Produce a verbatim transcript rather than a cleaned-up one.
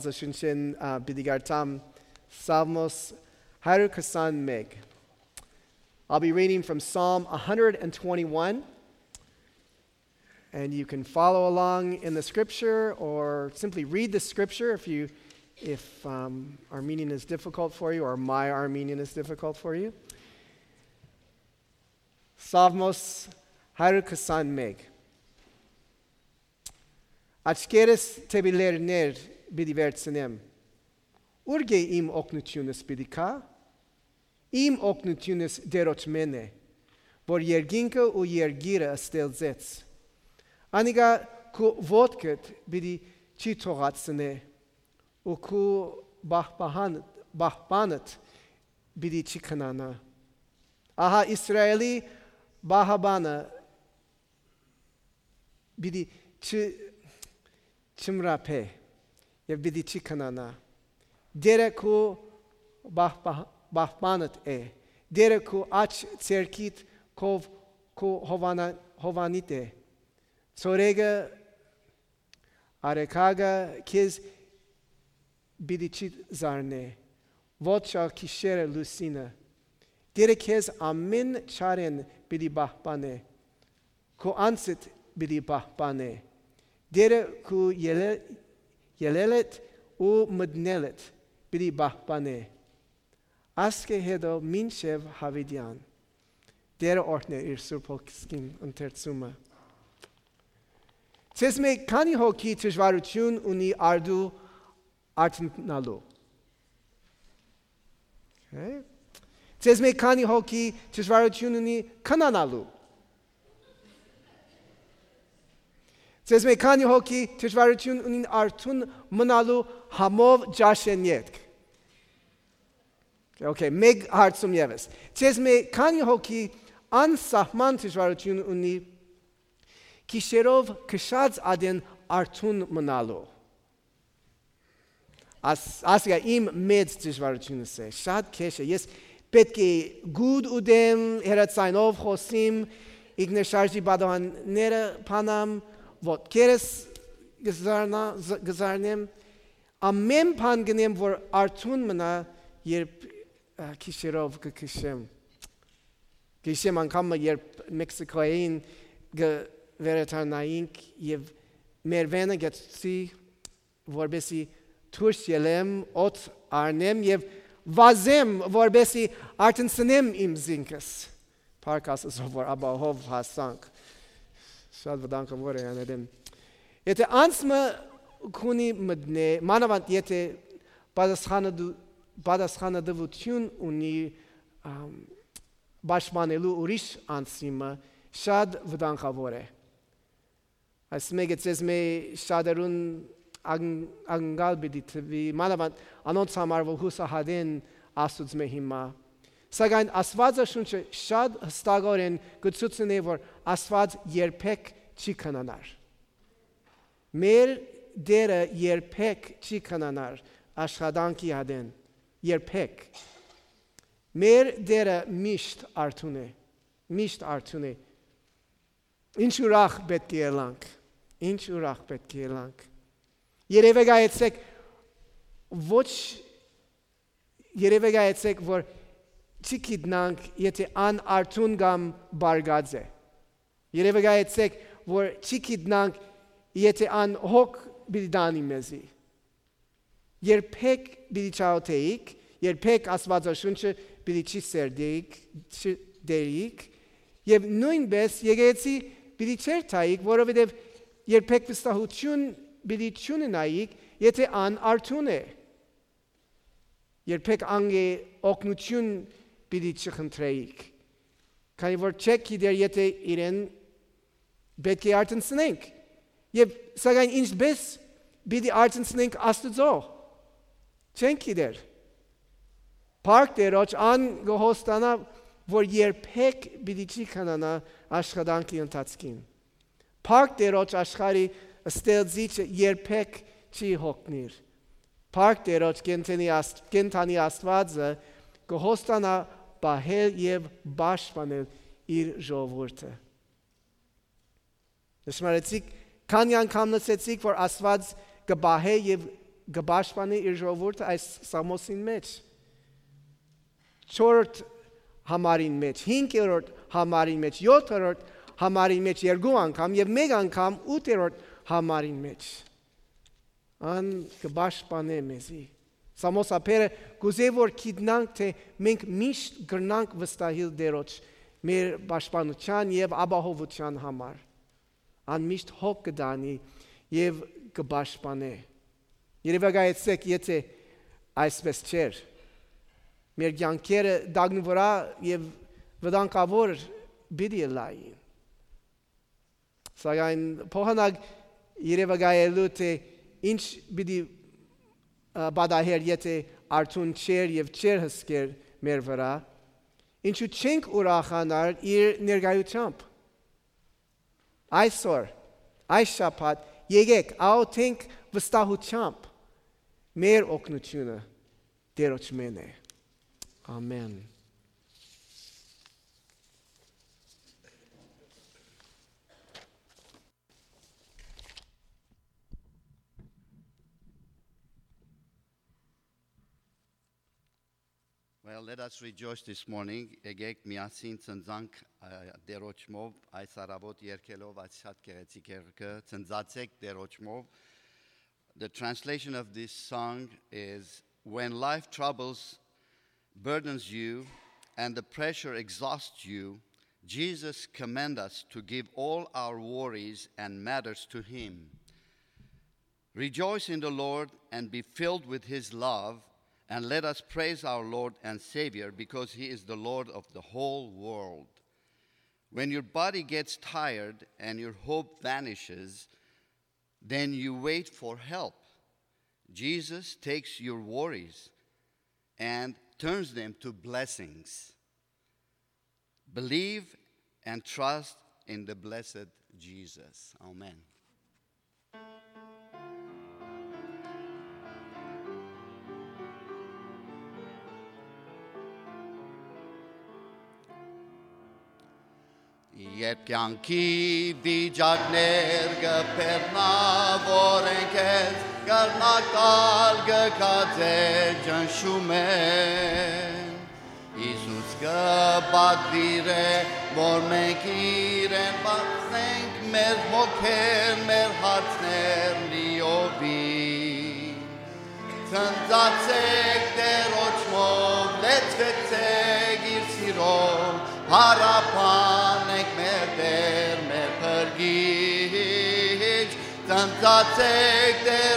Շունչէն, ա, պիտի կարդամ Սաղմոս հարիւր քսանմէկ. I'll be reading from Psalm one hundred and twenty-one, and you can follow along in the scripture or simply read the scripture if you, if, um, Armenian is difficult for you or my Armenian is difficult for you. Սաղմոս հարիւր քսանմէկ. Աչքերս դէպի լեռներ պիտի վերցնեմ. ո՞ւր կէ իմ օգնութիւնս պիտի գայ։ Իմ օգնութիւնս Տէրոջմէն է, որ երկինքը ու երկիրը ստեղծեց։ Անիկա քու ոտքդ պիտի չի թողացնէ ու քու պահպահան-, պահպանդ պիտի չի քնանայ։ Ահա Իսրայէլի պահպանը պիտի չ-, չմռապէ եւ պիտի չի քնանայ։ Տէրը քու պահպա-, պահպանդ է։ Տէրը քու աջ ձեռքիդ քով քու հովանա-, հովանիդ է։ Ցորեկը, արեգակը քեզ պիտի չի զարնէ, ոչ ալ գիշերը լուսինը։ Տէրը քեզ ամէն չարէն պիտի պահպանէ, քու անձդ պիտի պահպանէ։ Տէրը քու ելե-, ելելդ ու մտնելդ պիտի պահպանէ, ասկէ յետոյ մինչեւ յաւիտեան։ Տէրը օրհնէ իր Սուրբ Հոգսին ընթերցումը։ Ձեզմէ քանի՞ հոգի դժուարութիւն ունի առտու արթնանալու։ Okay. Ձեզմէ քանի՞ հոգի դժուարութիւն ունի քնանալու։ Ձեզմէ քանի՞ հոգի դժուարութիւն ունին արթուն մնալու համով ճաշէն ետք։ Okay, մէկ հարցում եւս։ Ձեզմէ քանի՞ հոգի անսահման դժուարութիւն ունի գիշերով քշած ատեն արթուն մնալու։ Աս-, ասիկա իմ մեծ դժուարութիւնս է, շատ քեշ է։ Ես պէտք է գուտ ուտեմ, հեռաձայնով խօսիմ, ինքնաշարժի պատուհանները բանամ, ոտքերս կը զարնա-, զ-, կը զարնեմ, ամէն բան կ'ընեմ, որ արթուն մնայ, երբ, ա, գիշերով կը քշեմ։ Գիշեմ անգամ մը, երբ Մեքսիքոյին կը վերադառնայինք եւ մեր վէնը գցեցի, որպեսզի դուրս ելեմ, օդ առնեմ եւ վազեմ, որպեսզի արթնցնեմ իմ զինքս։ Փառք Աստուծոյ, որ ապահով հասանք։ Շատ վտանգաւոր է անհետէն։ Եթէ անձ մը քունի մտնէ, մանաւանդ եթէ պատասխանատու-, պատասխանատվութիւն ունի, ամ, պաշտպանելու ուրիշ անձի մը, շատ վտանգաւոր է։ Այս մէկը ձեզմէ շատերուն ան-, անկալ պիտի թուի, մանաւանդ անոնց համար, որ յուսահատեն Աստուծմէ հիմա։ Սակայն Աստուածաշունչը շատ յստակօրէն կը ցուցնէ, որ Աստուած երբեք չի քնանար։ Մեր Տէրը երբեք չի քնանար աշխատանքի ատեն։ Երբեք։ Մեր Տէրը միշտ արթուն է, միշտ արթուն է։ Ինչ ուրախ պէտք է ըլլանք, ինչ ուրախ պէտք է ըլլանք։ Երեւեկայեցէք, ոչ, երեւեկայեցէք, որ չի գիտնանք, եթէ ան արթուն կամ պառկած է։ Երեւեկայեցէք, որ չի գիտնանք, եթէ ան հոգ պիտի տանի մեզի։ Երբեք պիտի չաղօթէիք, երբեք Աստուածաշունչը պիտի չի սերտէիք, չի դերիք, եւ նոյնպէս եկեղեցի պիտի չերթայիք, որովհետեւ երբեք վստահութիւն պիտի չունենայիք, եթէ ան արթուն է։ Երբեք անգէ օգնութիւն պիտի չխնդրէիք, քանի որ չէք գիտեր, եթէ իրեն պէտք է արթնցնենք։ Եւ սակայն ինչպէս պիտի արթնցնենք Աստուծոյ, չենք գիտեր։ Փառք Տէրոջ, ան կը հոստանայ, որ երբեք պիտի չի քնանայ աշխատանքի ընթացքին։ Փառք Տէրոջ, աշխարհի ստեղծիչը երբեք չի հոգնիր։ Փառք Տէրոջ, կենդանի Աստ-, կենդանի Աստուածը կը հոստանայ պահել եւ պաշտպանել իր ժողովուրդը։ Նշմարեցիք, քանի՞ անգամ լսեցիք, որ Աստուած կը պահէ եւ կը պաշտպանէ իր ժողովուրդը այս Սամոսին մէջ, չորրորդ համարին մէջ, հինգերորդ համարին մէջ, յոթերորդ համարին մէջ երկու անգամ եւ մէկ անգամ ութերորդ համարին մէջ։ Ան կը պաշտպանէ մեզի։ Սամոսաբերը կ'ուզէ որ գիտնանք, թէ մենք միշտ կրնանք վստահիլ Տէրոջ մեր պաշտպանութեան եւ ապահովութեան համար։ Ան միշտ հոգ կը տանի եւ կը պաշտպանէ։ Երեւակայեցէք, եթէ այսպես չէր, մեր կեանքերը տակնուվրայ եւ վտանգաւոր պիտի ըլլային։ Սակայն փոխանակ երեւակայելու, թէ ինչ պիտի, ա, պատահեր, եթէ արթուն չէր եւ չէր հսկեր մեր վրայ, ինչու՞ չենք ուրախանար իր ներկայութեամբ։ Այսօր, այս շաբաթ, եկէք, աղօթենք վստահութեամբ, մեր օգնութիւնը Տէրոջմէն է։ Ամէն։ Well, let us rejoice this morning. Եկեք միասին ծնծանք, ա, Տէրոջմով, այս առաւօտ երգելով այս շատ գեղեցիկ երգը, Ծնծացեք Տէրոջմով։ The translation of this song is, when life troubles burdens you and the pressure exhausts you, Jesus commands us to give all our worries and matters to Him. Rejoice in the Lord and be filled with His love, and let us praise our Lord and Savior because He is the Lord of the whole world. When your body gets tired and your hope vanishes, then you wait for help. Jesus takes your worries and turns them to blessings. Believe and trust in the blessed Jesus. Amen. Երբ կեանքի վիճակներ կը բեռնաւորեն քեզ, կրնակ տալ կը գացե ճնշումէն։ Յիսուս կը պատուիրէ, որ մենք իրեն բացենք մեր հոգեր, մեր հարցներ լիովին։ Ծնծացեք Տէրոջմով, լեցուեցեք իր սիրով, փառաբանենք մեր Տէր, մեր Փրկիչ։ Ծնծացեք Տէր